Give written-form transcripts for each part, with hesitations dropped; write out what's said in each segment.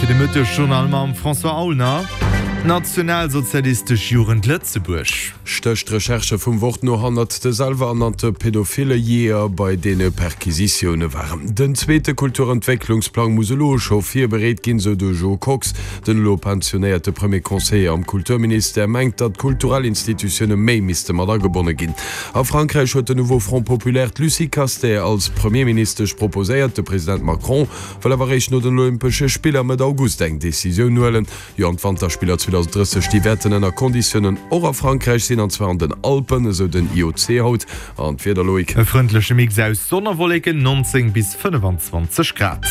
Zäit fir de Mëttesjournal mam François Aulner. D'Nationalsozialistesch Jugend Lëtzebuerg. Stécht d'Recherche vum Wort no hannert de selwer-ernannte pedophile Jeeër bei deene Perquisitioune waren. Den zweete Kulturentwécklungsplang muss elo scho virbereet ginn, sou de Jo Kox. Den elo pensionéierte Premier Conseiller am Kulturministère mengt, datt d'kulturell Institutioune méi misste mat agebonne ginn. A Frankräich huet den Nouveau Front Populaire d'Lucie Castets als Premierministesch proposéiert. De President Macron wëll awer eréischt no den Olympesche Spiller Mëtt August eng Decisioun huelen. Jo, an d'Wanterspiller 2030, déi wäerten ënner Konditiounen och a Frankräich sinn, an zwar an den Alpen, esou den IOC haut. An d'Wieder, Loïc? E frëndleche Mix aus Sonn a Wolleken, 19 bis 25 Grad.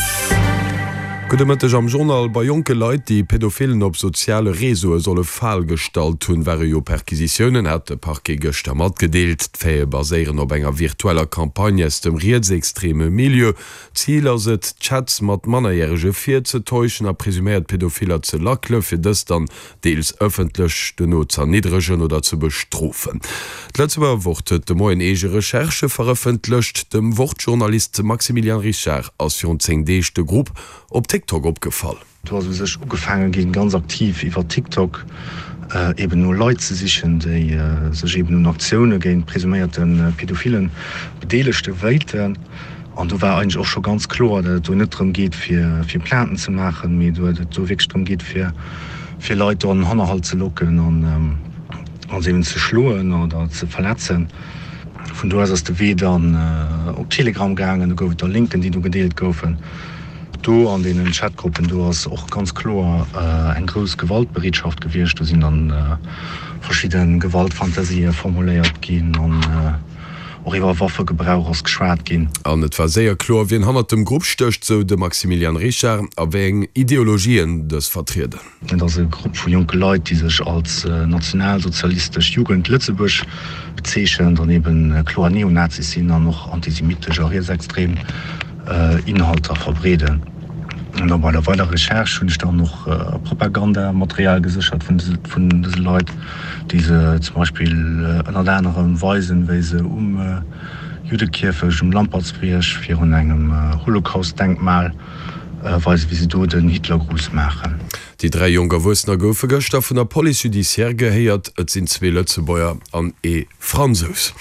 Gudde Mëtteg am Journal. Bei jonke Leit, déi Pädophilen op soziale Reseaue solle Fal gestallt hunn, ware jo Perquisitiounen, hat de Parquet gëschter matgedeelt. D'Faite baséieren op enger virtueller Campagne aus dem rietsextreme Milieu. Zil ass et, Chats mat Mannerjärege virzetäuschen a presuméiert Pädophiller ze lackele fir dës dann deels ëffentlech dono z'erniddregen oder ze bestrofen. D'Lëtzebuerger Wort huet de Moien eege Recherchë verëffentlecht. Dem Wort-Journalist Maximilian Richard ass virun 10 Deeg de Grupp op TikTok opgefall. Do ass u sech ugefaange ginn, ganz aktiv iwwer TikTok eben no Leit ze sichen, déi sech eben un Aktioune géint presuméierte Pädophile bedeelegte wéilten. An do war eigentlech och scho ganz kloer, datt et do net drëm geet, fir fir Plainten ze maachen, mee datt et do wierklech drëm geet, fir fir Leit do an den Hannerhalt ze locken an se eben ze schloen oder ze verletzen. Vun do aus ass de Wee dann op Telegram gaangen. Do gouf et da Linken, déi do gedeelt goufen. Do an deenen Chatgruppen, do ass och ganz kloer eng grouss Gewaltbereetschaft gewiescht. Do sinn dann verschidde Gewaltfantasië formuléiert ginn an och iwwer Waffegebrauch ass geschwat ginn. An et war séier kloer, wien hannert dem Grupp stécht, sou de Maximilian Richard, a wéi eng Ideologien dës vertrieden. Et ass e Grupp vu jonke Leit, déi sech als Nationalsozialistesch Jugend Lëtzebuerg bezeechent an eben kloer Neonazis sinn an och antisemitesch a rietsextrem Inhalter verbreeden. An da bei der weiderer Recherche hunn ech dann och Propagandamaterial geséchert vun dëse Leit, déi se zum Beispill ënnert anerem weisen, wéi se um Juddekierfecht um Lampertsbierg virun engem Holocaust-Denkmal Weisen, wéi se do den Hitlergruß maachen. Déi 3 jonk Erwuessener goufe gëschter vun der Police judiciaire gehéiert. Et sinn zwee Lëtzebuerger an ee Fransous.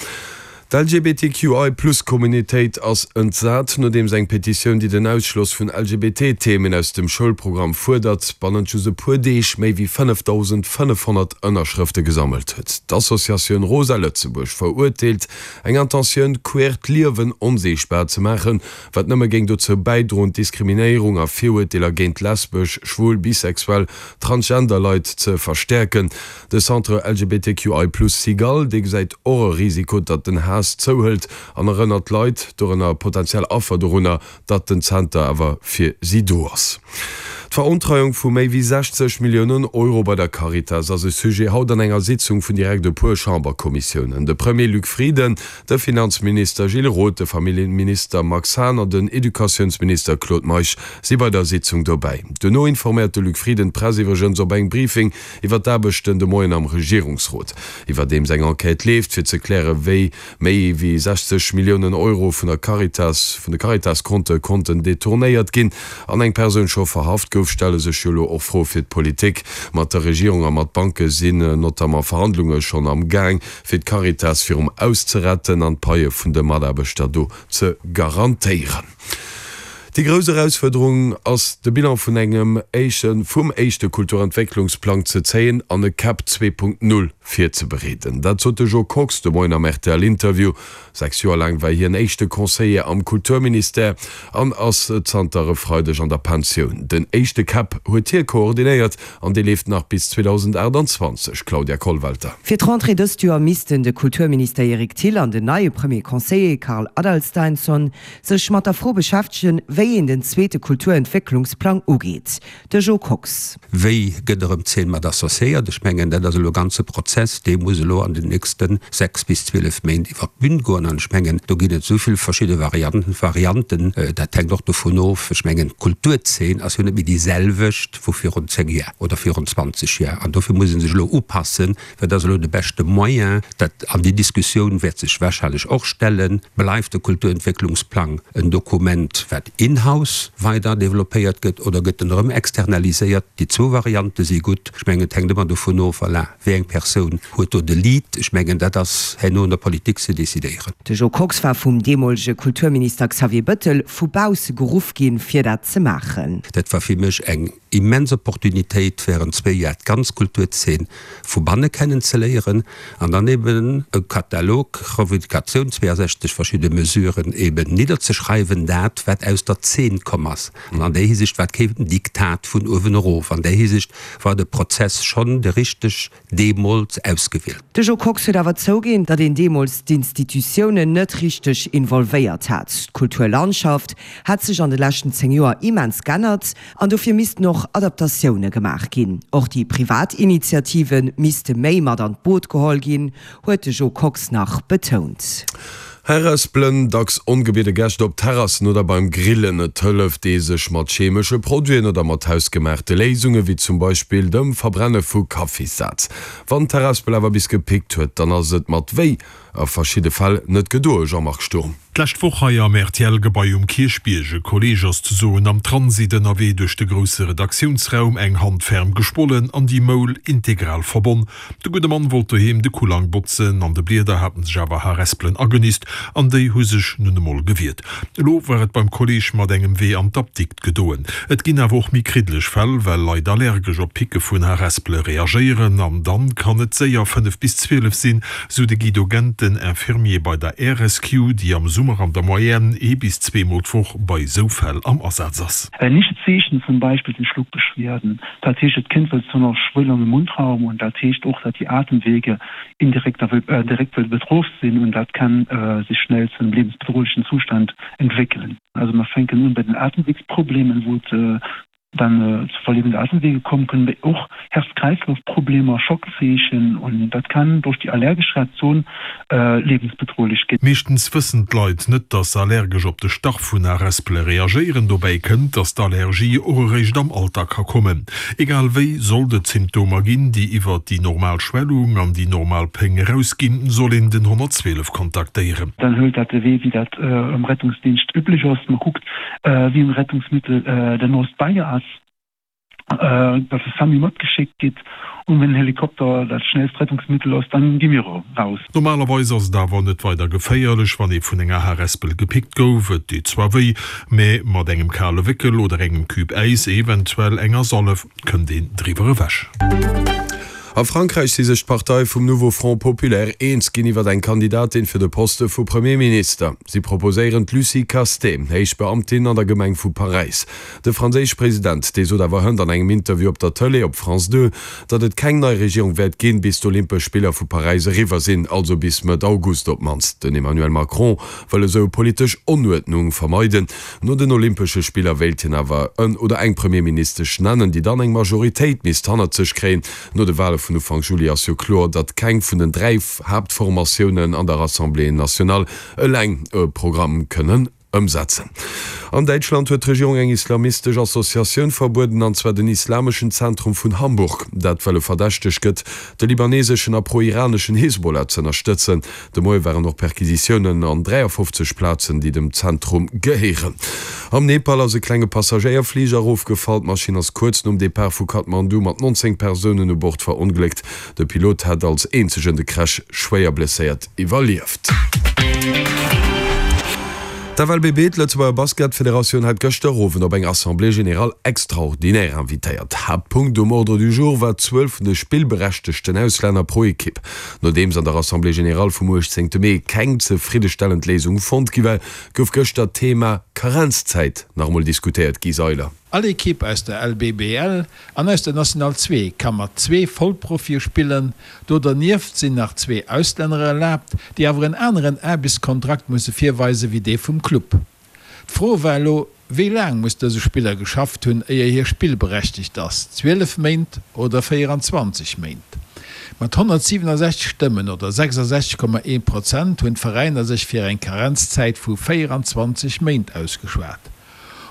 D'LGBTQI-Plus-Communautéit ass entsat, nodeems eng Petitioun, déi den Ausschloss vun LGBT-Themen aus dem Schoulprogramm fuerdert, bannent just e puer Deeg méi wéi 5.500 Ënnerschrëfte gesammelt huet. D'Associatioun Rosa Lëtzebuerg verurteelt eng Intentioun, queert Liewen onsiichtbar ze maachen, wat nëmme géing dozou bäidroen, d'Diskriminéierung a Virurteeler géint lesbesch, schwul, bisexuell, transgender Leit ze verstäerken. De Centre LGBTQI plus Cigale, dee gesäit och e Risiko, datt den Haass zouhëlt an erënnert d'Leit, dorënner potentiell Affer, dorunner, datt den Zenter awer fir si do ass. D'Verontreiung vu méi wéi 60 Milliounen Euro bei der Caritas ass e Sujet haut an enger Sitzung vun direkt e puer Chamberkommissiounen. De Premier Luc Frieden De Finanzminister Gilles Roth, de Familljeminister Max Hahn an den Educatiounsminister Claude Meisch si bei der Sitzung dobäi. Duerno informéiert de Luc Frieden d'Press iwwregens op engem Briefing iwwer d'Aarbechten de Moien am Regierungsrot. Iwwerdeems eng Enquête leeft, fir ze klären, wéi méi wéi 60 Milliounen Euro vun der Caritas, vun de Caritas-Konte konnten detournéiert ginn an eng Persoun scho verhaft gouf, stelle sech jo elo och Froe fir d'Politik. Mat der Regierung a mat Banke sinn notamment Verhandlunge schonn am Gaang. fir d'Caritas virum Aus ze retten an d'Paie vun de Mataarbechter do ze garantéieren. Déi grouss Erausfuerderung ass, de Bilan vun engem éische vum éischte Kulturentwécklungsplang ze zéien an e Cap 2.0 virzebereeden. Dat sot de Jo Kox de Moien am RTL-Interview. Sechs Joer laang war hien éischte Conseiller am Kulturministère an ass zanter e Freideg an der Pensioun. Den éischte Cap huet hie koordinéiert an dee leeft nach bis 2028. Claudia Kollwelter. Fir d'Rentrée dëst Joer missten de Kulturminister Eric Thill an den neie Premier Conseiller Carl Adalsteinsson sech mat der Fro beschäftegen, wéi een den zweete Kulturentwécklungsplang ugeet. De Jo Kox. Wéi gëtt erëm d'Zeen mat associéiert? Ech mengen, dat ass elo e ganze Prozess, dee muss elo an den nächste 6 bis 12 Méint iwwert d'Bün goen. An ech mengen, do ginn et esou vill verschidde Varianten. Varianten, dat hänkt och dovun of, ech mengen, d'Kulturzeen ass jo net méi déi selwecht wou virun 10 Jar oder virun 20 Jar. An dofir muss ee sech elo upassen, Wat ass elo de beschte Moyen? Dat, an déi Diskussioun wäert sech wahrscheinlech och stellen, Bleift de Kulturentwécklungsplang en Dokument, wat in? in-house weider développéiert gëtt oder gëtt en erëm externaliséiert? Déi zwou Variante si gutt. Ech mengen, et hänkt ëmmer dovun of, voilà, wéi eng Persoun huet do de Lead. Ech mengen, dat ass herno un der Politik ze decidéieren. De Jo Kox war vum deemolege Kulturminister Xavier Bëttel vu bausse geruff ginn, fir dat ze maachen. Dat war fir mech eng immens Opportunitéit, während zwéi Jar d'ganz Kulturzeen vu banne kennen ze léieren an dann eben e Katalog, Revendicatioun, 62 verschidde Mesuren eben nidderzeschreiwen, dat wat aus der Zeen komm ass. An an där Hisiicht war et keen Diktat vun uewen erof. An där Hisiicht war de Prozess schonn de richteg deemools ausgewielt. De Jo Kox huet awer zouginn, datt een deemools d'Institutiounen net richteg involvéiert hat. D'Kulturlandschaft hätt sech an de leschten 10 Joer immens g'ännert an dofir missten och Adaptatioune gemaach ginn. Och déi privat Initiative misste méi mat an d'Boot geholl ginn, huet de Jo Kox nach betount. Harespelen, dacks ongebiede Gäscht op Terrassen oder beim Grillen. Et hëlleft ee sech mat chemesche Produiten oder mat hausgemaachte Léisunge wéi zum Beispill dem Verbrenne vu Kaffissaz. Wann d'Harespel awer bis gepickt huet, dann ass et mat wéi a verschidde Fäll net gedoe, Jean-Marc Sturm. D'lescht Woch hei am RTL-Gebai um Kierchbierg, e Kolleeg ass ze soen am Transit ënnerwee duerch de grousse Redaktiounsraum, eng Hand ferm geschwollen an déi Moul integral verbonn. De gudde Mann wollt doheem de Kullang botzen, an de Blieder haten sech awer Harespelen agenist an déi hu sech nun emol gewiert. Elo war et beim Kolleeg mat engem Wee an d'Apdikt gedoen. Et ginn awer och méi kriddeleg Fäll, well Leit allergesch op d'Picke vun Harespele reagéieren an dann kann et séier 5 bis 12 sinn, sou de Guido Genten, Infirmier bei der Air Rescue, déi am Summer an der Moyenne ee bis zweemol d'Woch bei sou Fäll am Asaz ass. Ähnliche Zeechen zum Beispill sinn Schluckbeschwerden. Dat heescht, et kënnt wëll zu einer Schwellung im Mundraum und dat heescht och, dat die Atemwege indirekt direkt wëll betroff sinn und dat kann sich schnell zu einem lebensbedrohlichen Zustand entwéckelen. Also mer fänken un bei den Atemwegsproblemen, wou et dann zu Verlegung der Atemwege kommen können, mee och Herz-Kreislauf-Problemer, Schockzeechen und dat kann durch die allergesch Reaktion lebensbedrohlech ginn. Meeschtens wëssen d'Leit net, dass se allergesch op de Stach vun Harespele reagéieren. Dobäi kënnt, dass d'Allergie och eréischt am Alter ka kommen. Egal wéi, sollt et Symptomer ginn, déi iwwert déi normal Schwellung an déi normal Péng erausginn, soll een den 112 kontaktéieren. Dann hëlt dat de Wee, wéi dat am Rettungsdienscht üblech ass. Man kuckt, wéi en Rettungsmittel der noost bei ass. Dass e Samu matgeschéckt gitt und wenn en Helikopter dat schnellst Rettungsmittel ass, dann gi mir raus. Normalerweis ass et awer net weider geféierlech, wann ee vun enger Harespel gepickt gouf. Et deet zwar wéi, mä mat engem kale Wéckel oder engem Cube Äis, eventuell enger Sallef, kënnt een driwwer ewech. A Frankräich si sech d'Parteie vum Nouveau Front Populaire eens ginn iwwer eng Kandidatin fir de Poste vu Premierminister. Si proposéieren d'Lucie Castets, héich Beamtin an der Gemeng vu Paräis. De franséische President, dee sot awer hënt an engem Interview op der Tëlee op France 2, datt et keng nei Regierung wäert ginn, bis d'Olympesch Spiller vu Paräis eriwwer sinn, also bis Mëtt August op d'mannst. Den Emmanuel Macron wëll esou politesch Onuerdnung vermeiden. No den Olympesche Spiller wéilt hien awer en oder eng Premierministesch nennen, déi dann eng Majoritéit misst hannert sech kréien. No de Wale vun Ufank Juli ass jo kloer, datt keng vun den 3 Haaptformatiounen an der Assemblée nationale eleng e Programm kënnen ëmsetzen. An Däitschland huet d'Regierung eng islamistesch Associatioun verbueden, an zwar den Islameschen Zentrum vun Hamburg. Dat well e verdächtegt gëtt, de libaneseschen a pro-iraneschen Hezbollah z'ënnerstëtzen. De Moie waren och Perquisitiounen an 53 Plazen, déi dem Zentrum gehéieren. Am Nepal ass e klenge Passagéierfliger erofgefall. D'Maschinn ass kuerz nom Depart vu Kathmandu mat 19 Persounen u Bord verongléckt. De Pilot hätt als eenzegen de Crash schwéier blesséiert iwwerlieft. D'FLBB, d'Lëtzebuerger Basketfederatioun, hat gëschter Owend op eng Assemblée générale extraordinaire invitéiert. Haaptpunkt um Ordre du jour war d'Zuel vun de spillberechtegten Auslänner pro Ekipp. Nodeems an der Assemblée générale vum 18 Mee keng zefriddestellend Léisung fonnt gi war, gouf gëschter d'Thema Karenzzäit nach emol diskutéiert. Guy Seiler. All Ekipp aus der LBBL an aus der National 2 ka mat zwee Vollprofie spillen. Do dernieft sinn nach zwee Auslänner erlaabt, déi awer en aneren Aarbechtskontrakt musse virweise wéi dee vum Club. D'Fro war elo, Wéi laang muss dëse Spiller geschafft hunn, éier hie spillberechtegt ass, 12 Méint oder 24 Méint? Mat 167 Stëmmen oder 66,1 Prozent hunn d'Veräiner sech fir eng Karenzzäit vu 24 Méint ausgeschwat.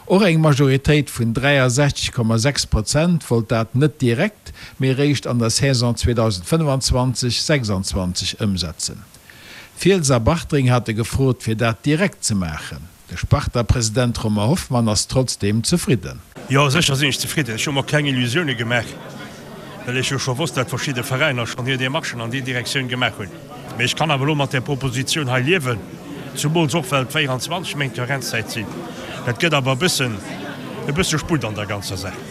Och eng Majoritéit vun 63,6 Prozent wollt dat net direkt, mee eréischt an der Saison 2025, 26 ëmsetzen. Fiels a Bartreng hate gefrot, fir dat direkt ze maachen. De Sparta-President Romain Hoffmann ass trotzdeem zefridden. Jo, sécher sinn ech zefridden. Ech hu mer keng Illusioune gemaach, well ech jo scho wosst, dat verschidde Veräiner schonn hir Demarchen an déi Direktioun gemaach hunn. Mee ech kann awer elo mat där Propositioun hei liewen, zumools och well et 24 Méint Karenzzäit sinn. Dat gëtt awer e bëssen, e bësse Sputt an der ganzer Saach.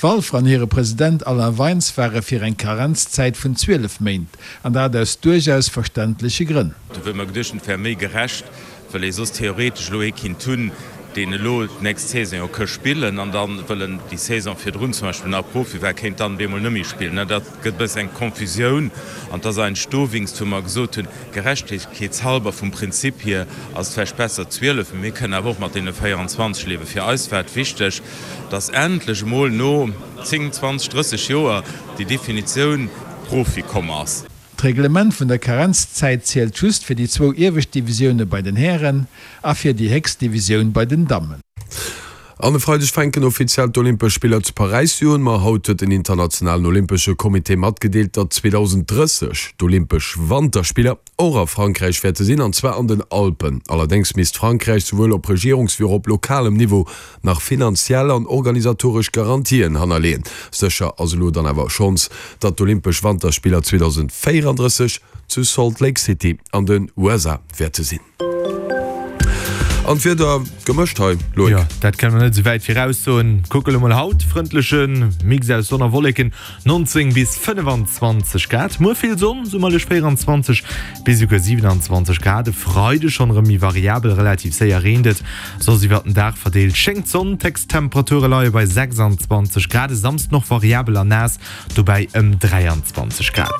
Walfer an hire President Alain Weins ware fir eng Karenzzäit vun 12 Méint, an dat aus duerchaus verständleche Grënn. Do hu mer geduecht, et wär méi gerecht, well ee soss theoretesch elo ee kinnt hunn, deen elo d'nächst Saison jo ka spillen an dann, well en déi Saison virdrun zum Beispill nach Profi war, kéint dann op eemol net méi spillen. Dat gëtt e bëssen eng Confusioun an et ass eigentlech dowéinst, wou mer gesot hunn, gerechtegkeetshalber vum Prinzip hier ass et vläicht besser 12, mee mir kënnen awer och mat deene 24 liewen. Fir eis war et wichteg, dass endlech emol no 10, 20, 30 Joer déi Definitioun Profi komm ass. D'Reglement vun der Karenzzäit zielt just fir déi zwou iewescht Divisioune bei den Hären a fir déi héchst Divisioun bei den Dammen. An e Freideg fänken offiziell d'Olympesch Spiller zu Paräis un. Ma haut huet den internationalen Olympesche Comité matgedeelt, datt 2030 d'Olympesch Wanterspiller och a Frankräich wäerte sinn, an zwar an den Alpen. Allerdéngs misst Frankräich souwuel op Regierungs wéi och op lokalem Niveau nach finanziell an organisatoresch Garantien hannerleeën. Sécher ass elo dann awer schonns, datt d'Olympesch Wanterspiller 2034 zu Salt Lake City an den USA wäerte sinn. An d'Wieder gemëscht hei, Loïc? Jo, dat kënne mer net esou wäit viraussoen. Kucke lo mol haut, frëndleche Mix aus Sonn a Wolleken, 19 bis 25 Grad. Muer vill Sonn, summerlech 24 bis esouguer 27 Grad. E Freide schonn erëm méi variabel, relativ séier reent et. Soss iwwert den Dag verdeelt schéngt d'Sonn, d'Héchsttemperature leie bei 26 Grad, e Samsden och variabel a naass, dobäi ëm 23 Grad.